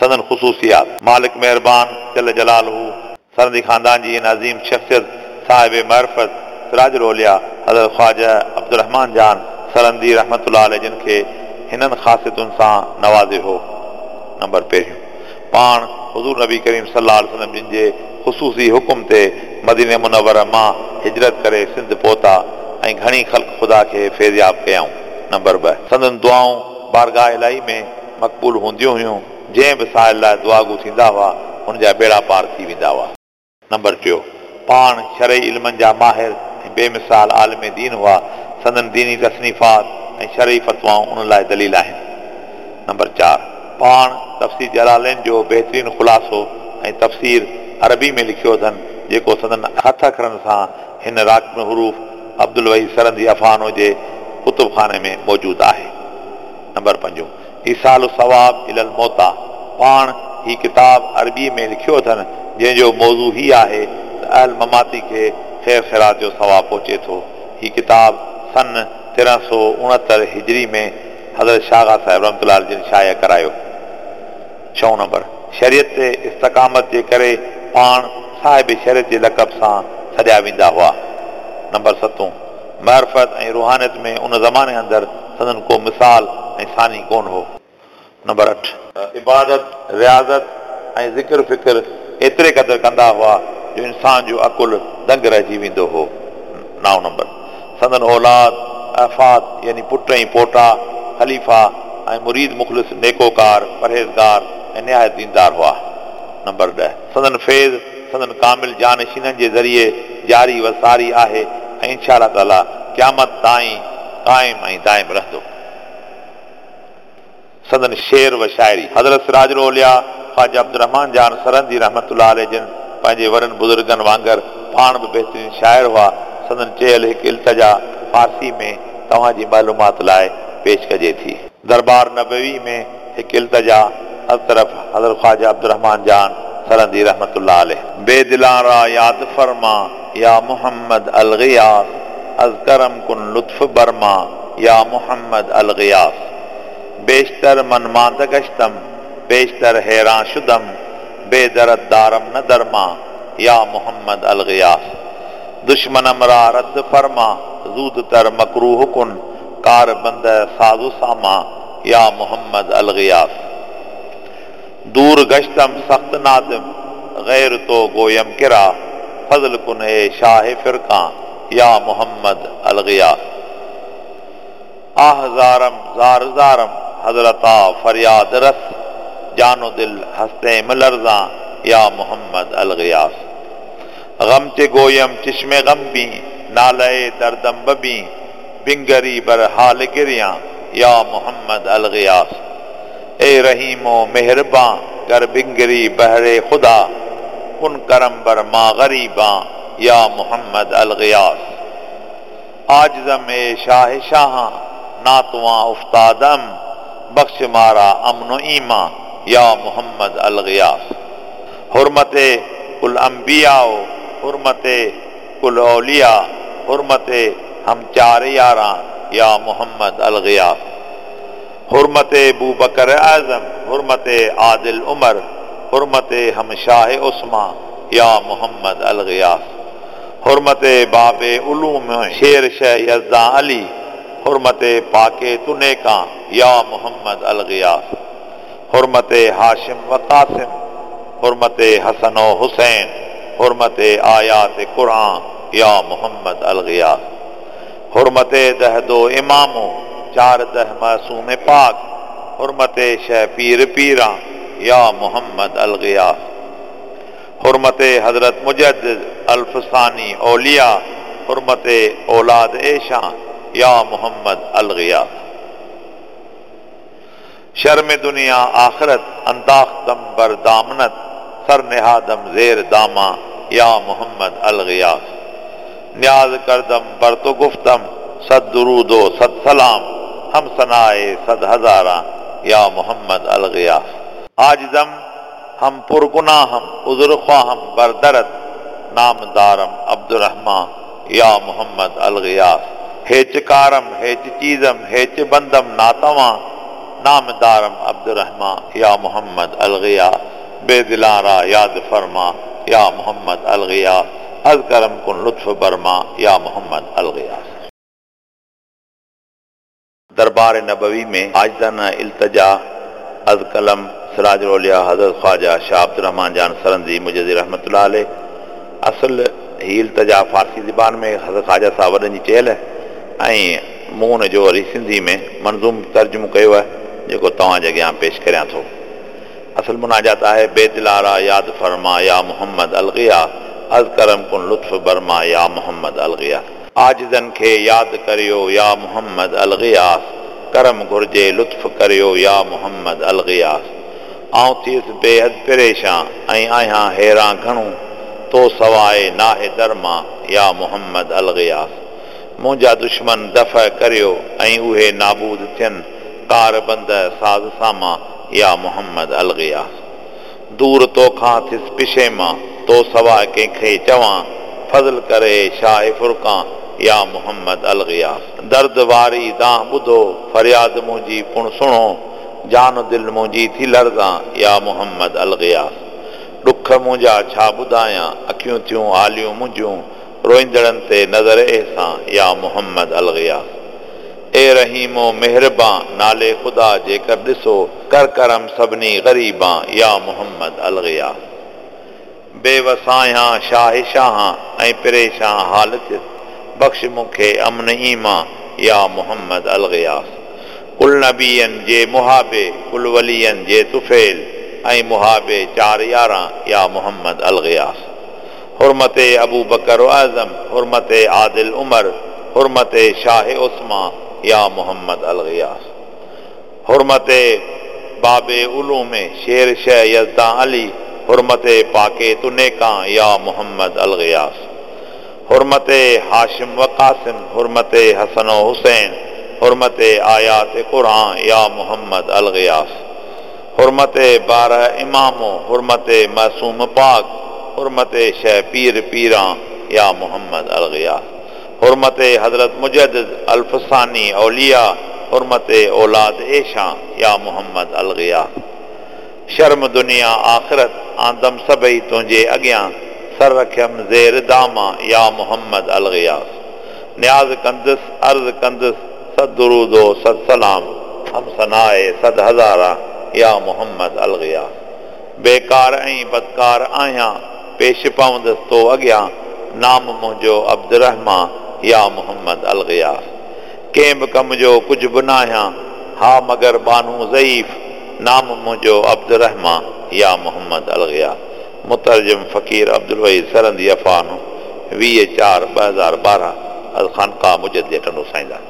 سندن خصوصيات. مالڪ مهربان جل جلاله سرهندي خاندان جي ان عظيم شخصيت صاحب معرفت سراج الاولياء حضرت خواجه عبدالرحمان جان سرهندي رحمة الله عليه جن کي هنن خاصيتن سان نوازيو هو. نمبر پهريون، پاڻ حضور نبي ڪريم صلي الله عليه وسلم جن جي خصوصي حڪم تي مدينه منوره مان هجرت ڪري سنڌ پهتا ۽ گهڻي خلق خدا کي فيضياب ڪيائون. نمبر 2، سندن دعائون بارگاهه الاهي ۾ مقبول هونديون هيون، جنهن به سائل لاء دعاگو ٿيندا هئا، ان جا ٻيڙا پار ٿي ويندا هئا. نمبر ٽيو، پاڻ شرعي علمن جا ماهر ۽ بي مثال عالم دين هئا، سندن ديني تصنيفات ۽ شرعي فتوائون ان لاء دليل آهن. نمبر 4، پاڻ تفسير جلالين جو بهترين خلاصو ۽ تفسير عربي ۾ لکيو اٿن، جيڪو سندن هٿ اکرن سان هن راقم الحروف عبدالوحيد سرهندي افغانو جي ڪتب خاني ۾ موجود آهي. نمبر پنجون، ايصال الثواب الي الموتيٰ، پاڻ هي ڪتاب عربيء ۾ لکيو اٿن، جنهن جو موضوع هي آهي ته اهل مماتي کي خير خيرات جو ثواب پهچي ٿو. هي ڪتاب سن 1369 هجري ۾ حضرت شاهه آغا صاحب رحمة الله عليه جن شايع ڪرايو. ڇهون نمبر، شريعت تي استقامت جي ڪري پاڻ صاحب شريعت جي لقب سان سڏيا ويندا هئا. نمبر ستون، معرفت ۽ روحانيت ۾ ان زماني اندر سندن ڪو مثال ۽ ثاني ڪونه هو. نمبر 8. عبادت، رياضت ۽ ذڪر فڪر ايتري قدر ڪندا هئا جو انسان جو عقل دنگ رهجي ويندو هو. نائون نمبر. سندن اولاد، احفاد يعني پٽ ۽ پوٽا، خليفا ۽ مريد مخلص نيڪوڪار، پرهيزگار ۽ نهايت ديندار هئا. نمبر 10. سندن فيض سندن ڪامل جانشينن جي ذريعي جاري و ساري آهي ۽ انشاء الله تعاليٰ قيامت تائين قائم ۽ دائم رهندو. سندن شعر و شاعري. حضرت سراج الاولياء خواجه عبدالرحمان جان سرهندي رحمة الله عليه جن پنهنجي وڏن بزرگن وانگر پاڻ به بهترين شاعر هئا. سندن چيل هڪ التجا فارسي ۾ توهان جي معلومات لاء پيش ڪجي ٿي. دربار نبوي ۾ هڪ التجا از طرف حضرت خواجه عبدالرحمان جان سرهندي رحمة الله عليه. بي دلان را ياد فرما يا محمد الغياث از ڪرم ڪن لطف بر ما يا محمد الغياث بيشتر من مانده گشتم بيشتر حيران شدم بي درد دارم نه درمان يا محمد الغياث دشمنم را رد فرما زود تر مڪروه ڪن ڪار بنده ساز و سامان يا محمد الغياث دور گشتم سخت نادم غير تو گويم ڪرا فضل ڪن اي شاهه فرقان يا محمد الغياث آه زارم زار زارم حضرتا فرياد رس جان و دل هستيم لرزان يا محمد الغياث غم چه گويم چشم غم بين ناله دردم ببين بنگري بر حال گريان يا محمد الغياث اي رحيم و مهربان گر بنگري بهر خدا ڪن ڪرم بر ما غريبان يا محمد الغياث عاجزم اي شاهه شاهان ناتوان افتادم بخش ما را امن و ايمان يا محمد الغياث حرمت ڪل انبياء حرمت ڪل اولياء حرمت هم چار ياران يا محمد الغياث حرمت بوبڪر اعظم حرمت عادل عمر حرمت هم شاهه عثمان يا محمد الغياث حرمت باب علوم شير شه يزدان علي حرمت پاڪ تو نيڪان يا محمد الغياث حرمت هاشم و قاسم حرمت حسن و حسين حرمت آيات قرآن يا محمد الغياث حرمت ده دو امامو چار ده معصوم پاڪ حرمت شه پير پيران يا محمد الغياث حرمت حضرت مجدد الف ثاني اولياء حرمت اولاد ايشان يا محمد الغياث شرم دنيا آخرت انداختم بر دامنت سر نهادم زير دامان يا محمد الغياث نياز ڪردم بر تو گفتم صد درود و صد سلام هم ثناء صد هزاران يا محمد الغياث عاجزم هم پر گناهم عذر خواهم بر درت نام دارم عبدالرحمان يا محمد الغياث هيچ ڪارم هيچ چيزم هيچ بندم ناتوان نام دارم عبدالرحمان، يا محمد الغياث. بيدلان را ياد فرما، يا محمد الغياث. از ڪرم ڪن لطف برما، يا محمد الغياث. دربار نبوي ۾ عاجزانه التجا از قلم سراج الاولياء حضرت خواجه شاهه عبدالرحمان جان سرهندي مجددي رحمة الله عليه. اصل هي التجا فارسي زبان ۾ حضرت خواجه صاحب وڏن جي چيل ۽ مون ان جو وري سنڌي ۾ منظوم ترجمو ڪيو آهي جيڪو توهان جي اڳيان پيش ڪريان ٿو. اصل مناجات آهي، بيدلان را ياد فرما يا محمد الغياث از ڪرم ڪن لطف برما يا محمد الغياث. عاجزن کي ياد ڪريو يا محمد الغياث ڪرم گهرجي لطف ڪريو يا محمد الغياث. آئون ٿيس بيحد پريشان ۽ آهيان حيران گهڻو تو سواء ناهي درمان يا محمد الغياث. منهنجا دشمن دفع ڪريو ۽ اهي نابود ٿين ڪار بنده ساز سامان يا محمد الغياث. دور توکان ٿيس پشيمان، تو سواء ڪنهن کي چوان، فضل ڪر اي شاهه فرقان، يا محمد الغياث. درد واري دانهن ٻڌو، فرياد منهنجي پڻ سڻو، جان و دل منهنجي ٿي لرزان، يا محمد الغياث. ڏک منهنجا ڇا ٻڌايان، اکيون ٿيون آليون منهنجون، روئيندڙن تي نظر احسان، يا محمد الغياث. اي رحيم و مهربان، نالي خدا جيڪر ڏسو، ڪر ڪرم سڀني غريبان، يا محمد الغياث. بي وس آهيان شاهه شاهان، ۽ پريشان حال ٿيس، بخش مون کي امن ايمان، يا محمد الغياث. ڪل نبين جي محابي، ڪل ولين جي طفيل، ۽ محابي چار ياران، يا محمد الغياث. حرمت ابوبڪر اعظم، حرمت عادل عمر، حرمت شاهه عثمان، يا محمد الغياث. حرمت باب علوم، شير شه يزدان علي، حرمت پاڪي تو نيڪان، يا محمد الغياث. حرمت هاشم و قاسم، حرمت حسن و حسين، حرمت آيات قرآن، يا محمد الغياث. حرمت باره امامو، حرمت معصوم پاڪ، حرمت شه پير پيران، يا محمد الغياث. حرمت حضرت مجدد الف ثاني اولياء، حرمت اولاد ايشان، يا محمد الغياث. شرم دنيا آخرت، آندم سڀئي تنهنجي اڳيان، سر رکيم زير دامان، يا محمد الغياث. نياز ڪندس، عرض ڪندس، صد درود و صد سلام، هم ثناء صد هزاران، يا محمد الغياث. بيڪار ۽ بدڪار آهيان، پيش پوندس تو اڳيان، نام منهنجو عبدالرحمان، يا محمد الغياث. ڪنهن به ڪم جو ڪجهه به ناهيان، ها مگر ٻانهون ضعيف، نام منهنجو عبدالرحمان، يا محمد الغياث. مترجم فقير عبدالوحيد سرهندي عفانو، 20 4 2012 از خانقاه مجدديه ٽنڊو سائينداد.